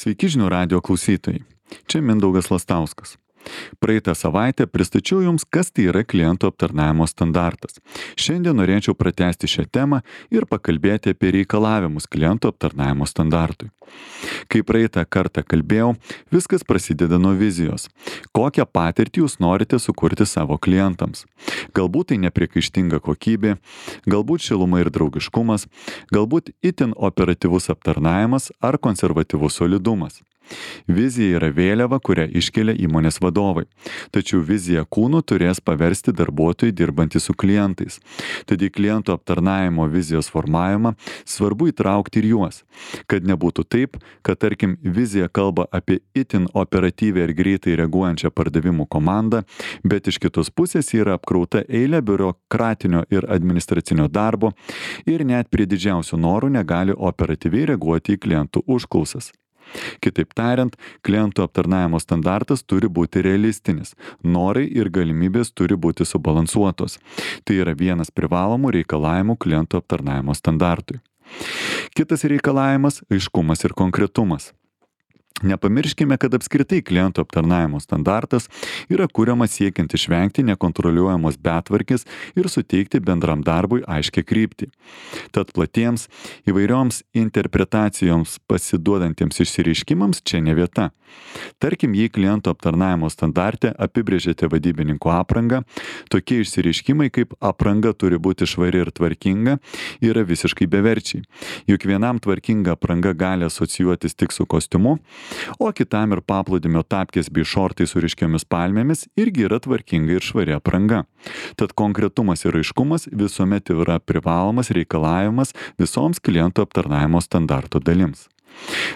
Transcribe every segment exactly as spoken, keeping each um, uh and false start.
Sveiki žinių radijo klausytojai. Čia Mindaugas Lastauskas. Praeitą savaitę pristačiau Jums, kas tai yra klientų aptarnavimo standartas. Šiandien norėčiau pratęsti šią temą ir pakalbėti apie reikalavimus klientų aptarnavimo standartui. Kai praeitą kartą kalbėjau, viskas prasideda nuo vizijos. Kokią patirtį Jūs norite sukurti savo klientams? Galbūt tai nepriekaištinga kokybė, galbūt šiluma ir draugiškumas, galbūt itin operatyvus aptarnavimas ar konservatyvus solidumas. Vizija yra vėliava, kurią iškelia įmonės vadovai. Tačiau viziją kūnu turės paversti darbuotojai dirbantys su klientais. Tad į klientų aptarnavimo vizijos formavimą svarbu įtraukti ir juos. Kad nebūtų taip, kad tarkim vizija kalba apie itin operatyvią ir greitai reaguojančią pardavimų komandą, bet iš kitos pusės yra apkrauta eilė biurokratinio ir administracinio darbo ir net prie didžiausių norų negali operatyviai reaguoti į klientų užklausas. Kitaip tariant, klientų aptarnavimo standartas turi būti realistinis. Norai ir galimybės turi būti subalansuotos. Tai yra vienas privalomų reikalavimų klientų aptarnavimo standartui. Kitas reikalavimas – aiškumas ir konkretumas. Nepamirškime, kad apskritai klientų aptarnavimo standartas yra kuriamas siekiant išvengti nekontroliuojamos betvarkės ir suteikti bendram darbui aiškią kryptį. Tad platiems įvairioms interpretacijoms pasiduodantiems išsireiškimams čia ne vieta. Tarkim, jei klientų aptarnavimo standarte apibrėžėte vadybininko aprangą, tokie išsireiškimai kaip apranga turi būti švari ir tvarkinga yra visiškai beverčiai. Juk vienam tvarkinga apranga gali asocijuotis tik su kostiumu, o kitam ir paplūdimio tapkės bei šortai su ryškiomis palmėmis irgi yra tvarkinga ir švari apranga. Tad konkretumas ir aiškumas visuomet yra privalomas reikalavimas visoms klientų aptarnavimo standarto dalims.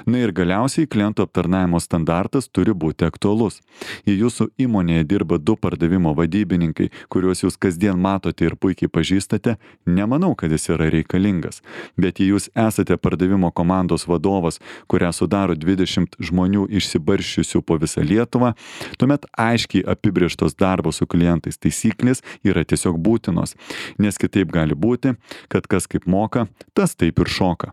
Na ir galiausiai klientų aptarnavimo standartas turi būti aktualus. Jei jūsų įmonėje dirba du pardavimo vadybininkai, kuriuos jūs kasdien matote ir puikiai pažįstate, nemanau, kad jis yra reikalingas. Bet jei jūs esate pardavimo komandos vadovas, kurią sudaro dvidešimt žmonių išsibarsčiusių po visą Lietuvą, tuomet aiškiai apibrėžtos darbo su klientais taisyklės yra tiesiog būtinos, nes kitaip gali būti, kad kas kaip moka, tas taip ir šoka.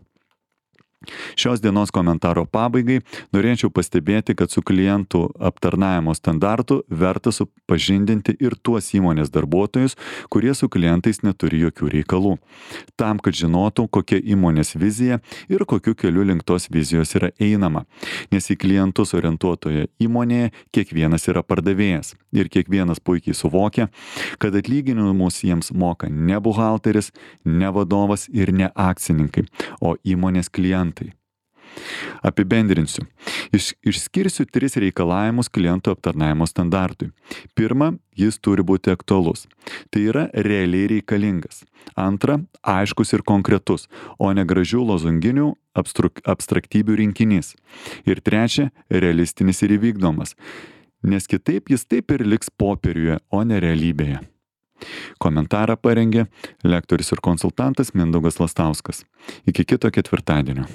Šios dienos komentaro pabaigai norėčiau pastebėti, kad su klientų aptarnavimo standartu verta supažindinti ir tuos įmonės darbuotojus, kurie su klientais neturi jokių reikalų. Tam, kad žinotų, kokia įmonės vizija ir kokiu keliu link tos vizijos yra einama. Nes į klientus orientuotoje įmonėje kiekvienas yra pardavėjas ir kiekvienas puikiai suvokia, kad atlyginimus jiems moka ne buhalteris, ne vadovas ir ne akcininkai, o įmonės klientai. Apibendrinsiu. Iš, išskirsiu tris reikalavimus klientų aptarnavimo standartui. Pirma, jis turi būti aktualus. Tai yra realiai reikalingas. Antra, aiškus ir konkretus, o ne gražių lozunginių abstruk, abstraktybių rinkinys. Ir trečia, realistinis ir įvykdomas. Nes kitaip jis taip ir liks popieriuje, o ne realybėje. Komentarą parengė lektorius ir konsultantas Mindaugas Lastauskas. Iki kito ketvirtadienio.